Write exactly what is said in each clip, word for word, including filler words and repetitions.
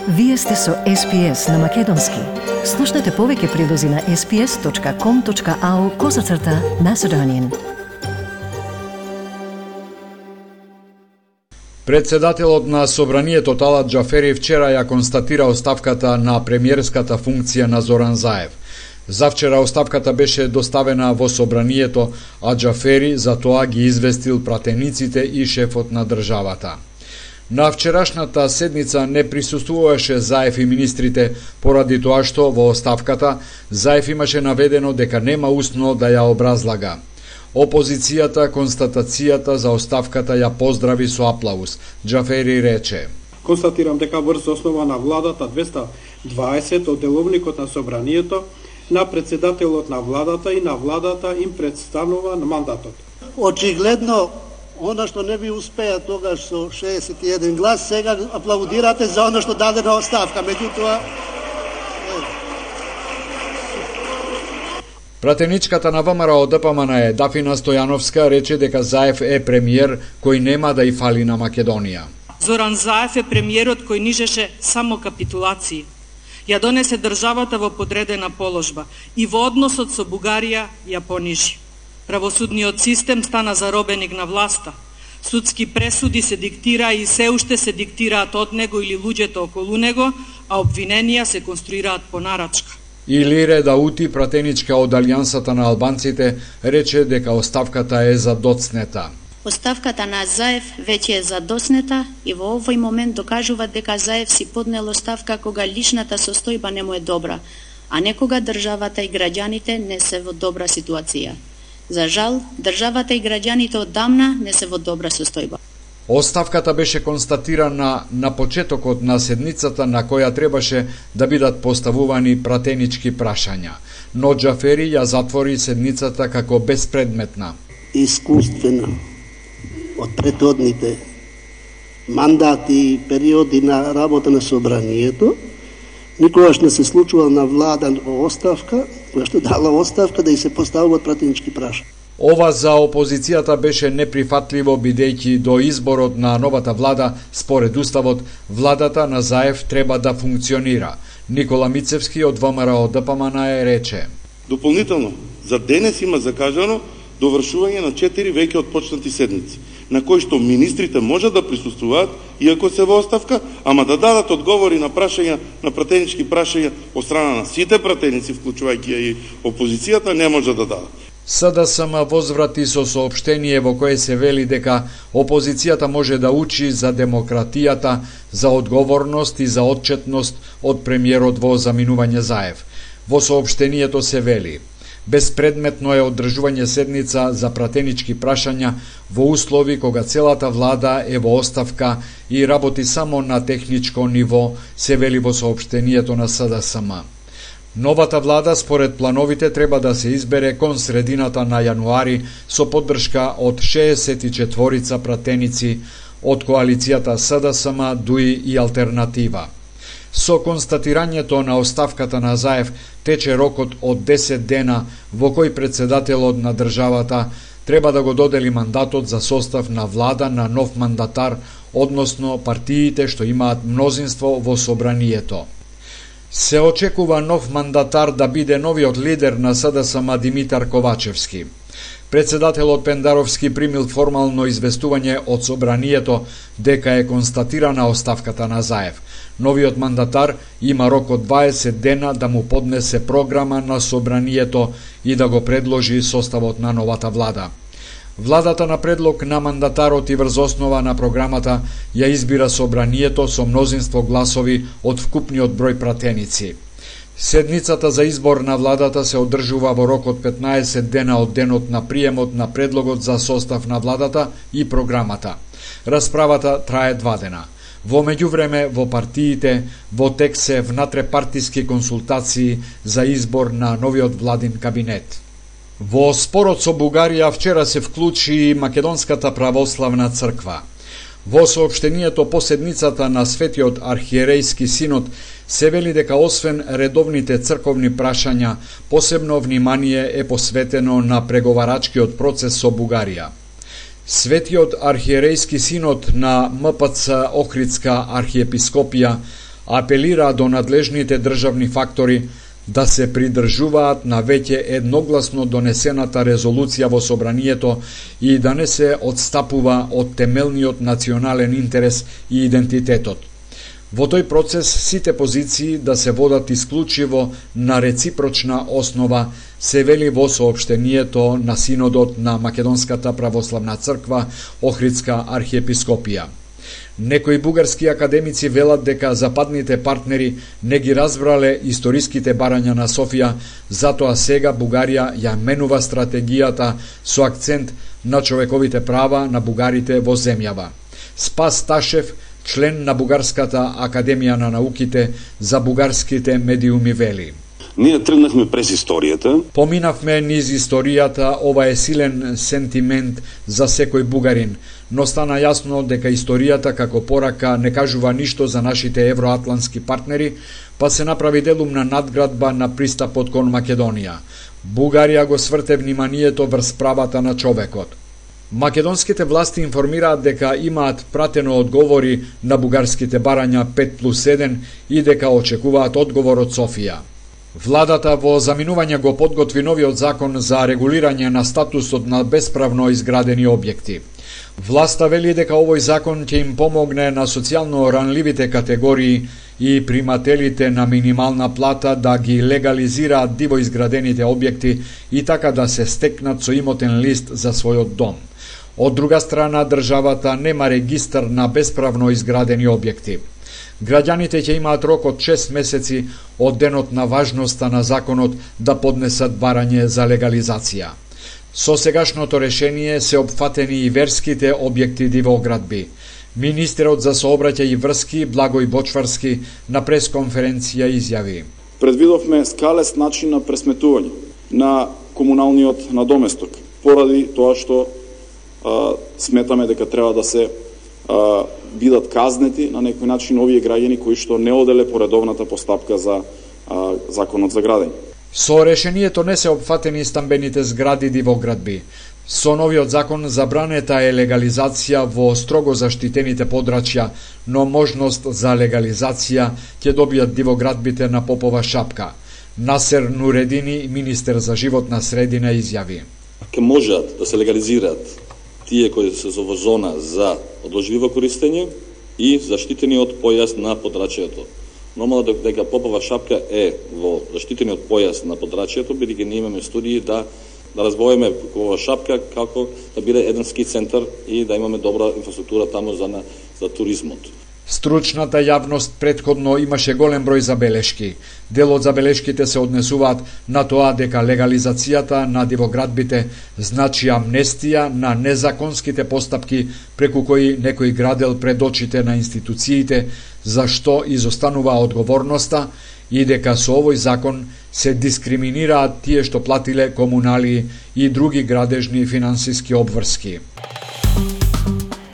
Вие сте со Ес Пи Ес на Македонски. Слушнете повеќе прилози на ес пи ес точка ком точка ау козацрта Macedonian. Председателот на Собранието Талат Џафери вчера ја констатира оставката на премиерската функција на Зоран Заев. Завчера оставката беше доставена во Собранието, а Џафери за тоа ги известил пратениците и шефот на државата. На вчерашната седница не присуствуваше Заев и министрите поради тоа што во оставката Заев имаше наведено дека нема устно да ја образлага. Опозицијата констатацијата за оставката ја поздрави со аплауз. Џафери рече: Констатирам дека врз основа на владата двеста дваесет од деловникот на Собранието, на председателот на владата и на владата им представнува на мандатот. Очигледно, она што не ви успеа тогаш со шеесет и еден глас, сега аплаудирате за она што дадена оставка. Меѓутоа, пратеничката на ВМРО Д П М Н Е Дафина Стојановска рече дека Заев е премиер кој нема да и фали на Македонија. Зоран Заев е премиерот кој нижеше само капитулации. Ја донесе државата во подредена положба и во односот со Бугарија ја понижи. Правосудниот систем стана заробеник на власта. Судски пресуди се диктира и се уште се диктираат од него или луѓето околу него, а обвиненија се конструираат по нарачка. Илире Даути, пратеничка од Алијансата на албанците, рече дека оставката е задоцнета. Оставката на Заев веќе е задоцнета и во овој момент докажува дека Заев си поднел оставка кога личната состојба не му е добра, а не кога државата и граѓаните не се во добра ситуација. За жал, државата и граѓаните одамна не се во добра состојба. Оставката беше констатирана на почетокот на седницата на која требаше да бидат поставувани пратенички прашања, но Џафери ја затвори седницата како безпредметна. Искуствена од претhodните мандати и периоди на работа на Собранието, никогаш не се случува на влада во оставка, која што дала оставка да и се поставуваат пратенички прашања. Ова за опозицијата беше неприфатливо бидејќи до изборот на новата влада, според уставот, владата на Заев треба да функционира. Никола Мицевски од ВМРО Д П М Н Е рече: Дополнително, за денес има закажано довршување на четири веќе отпочнати седници, на кои што министрите можат да присуствуваат, иако се во оставка, ама да дадат одговори на прашања, на пратенички прашања од страна на сите пратеници, вклучувајќи и опозицијата, не може да дадат. С Д С М возврати со соопштение во кое се вели дека опозицијата може да учи за демократијата, за одговорност и за отчетност од премиерот во заминување Заев. Во соопштението се вели: безпредметно е одржување седница за пратенички прашања во услови кога целата влада е во оставка и работи само на техничко ниво, се вели во соопштението на С Д С М. Новата влада, според плановите, треба да се избере кон средината на јануари со поддршка од шеесет и четворица пратеници од коалицијата С Д С М, Дуи и Алтернатива. Со констатирањето на оставката на Заев тече рокот од десет дена во кој председателот на државата треба да го додели мандатот за состав на влада на нов мандатар, односно партиите што имаат мнозинство во Собранието. Се очекува нов мандатар да биде новиот лидер на С Д С М Димитар Ковачевски. Председателот Пендаровски примил формално известување од Собранието дека е констатирана оставката на Заев. Новиот мандатар има рок од дваесет дена да му поднесе програма на Собранието и да го предложи составот на новата влада. Владата на предлог на мандатарот и врз основа на програмата ја избира Собранието со мнозинство гласови од вкупниот број пратеници. Седницата за избор на владата се одржува во рок од петнаесет дена од денот на приемот на предлогот за состав на владата и програмата. Расправата трае два дена. Во меѓувреме, во партиите, во тек се внатрепартиски консултации за избор на новиот владин кабинет. Во спорот со Бугарија вчера се вклучи Македонската православна црква. Во соопштението по седницата на Светиот архиерејски синод се вели дека освен редовните црковни прашања, посебно внимание е посветено на преговарачкиот процес со Бугарија. Светиот архиерејски синод на М П Ц Охридска архиепископија Апелира до надлежните државни фактори да се придржуваат на веќе едногласно донесената резолуција во собранието и да не се одстапува од темелниот национален интерес и идентитетот. Во тој процес сите позиции да се водат исклучиво на реципрочна основа, се вели во соопштението на Синодот на Македонската православна црква Охридска архиепископија. Некои бугарски академици велат дека западните партнери не ги разбрале историските барања на Софија, затоа сега Бугарија ја менува стратегијата со акцент на човековите права на бугарите во земјава. Спас Ташев, член на Бугарската академија на науките за бугарските медиуми, вели: Ние тргнахме през историјата. Поминавме низ историјата, ова е силен сентимент за секој бугарин, но стана јасно дека историјата како порака не кажува ништо за нашите евроатлантски партнери, па се направи делумна надградба на пристапот кон Македонија. Бугарија го сврте вниманието врз правата на човекот. Македонските власти информираат дека имаат пратено одговори на бугарските барања пет плюс еден и дека очекуваат одговор од Софија. Владата во заминување го подготви новиот закон за регулирање на статусот на бесправно изградени објекти. Власта вели дека овој закон ќе им помогне на социјално ранливите категории и примателите на минимална плата да ги легализираат диво изградените објекти и така да се стекнат со имотен лист за својот дом. Од друга страна, државата нема регистар на бесправно изградени објекти. Граѓаните ќе имаат рок од шест месеци од денот на важноста на законот да поднесат барање за легализација. Со сегашното решение се опфатени и верските објекти дивоградби. Министерот за сообраќај и врски Благој Бочварски на пресконференција изјави: Предвидовме скалест начин на пресметување на комуналниот надоместок, поради тоа што а, сметаме дека треба да се а, бидат казнети на некој начин овие граѓани кои што не оделе по редовната постапка за а, законот за градење. Со решението не се опфатени стамбените згради дивоградби. Со новиот закон забранета е легализација во строго заштитените подрачја, но можност за легализација ќе добијат дивоградбите на Попова шапка. Насер Нуредини, министер за животна средина, изјави: Ке можат да се легализираат тие кои се во зона за одложливо користење и заштитениот појас на подрачјето. Нормално дека Попова шапка е во заштитениот појас на подрачјето, бидејќи ние имаме студии да да развоиме Попова шапка како да биде еден ски центар и да имаме добра инфраструктура таму за на, за туризмот. Стручната јавност претходно имаше голем број забелешки. Дел од забелешките се однесуваат на тоа дека легализацијата на дивоградбите значи амнестија на незаконските постапки преку кои некој градел пред очите на институциите, за што изостанува одговорноста, и дека со овој закон се дискриминираат тие што платиле комунали и други градежни финансиски обврски.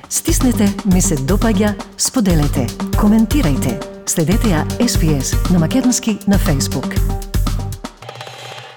Стиснете, ми се допаѓа, споделете, коментирајте. Следете ја Ес Би Ес на македонски на Facebook.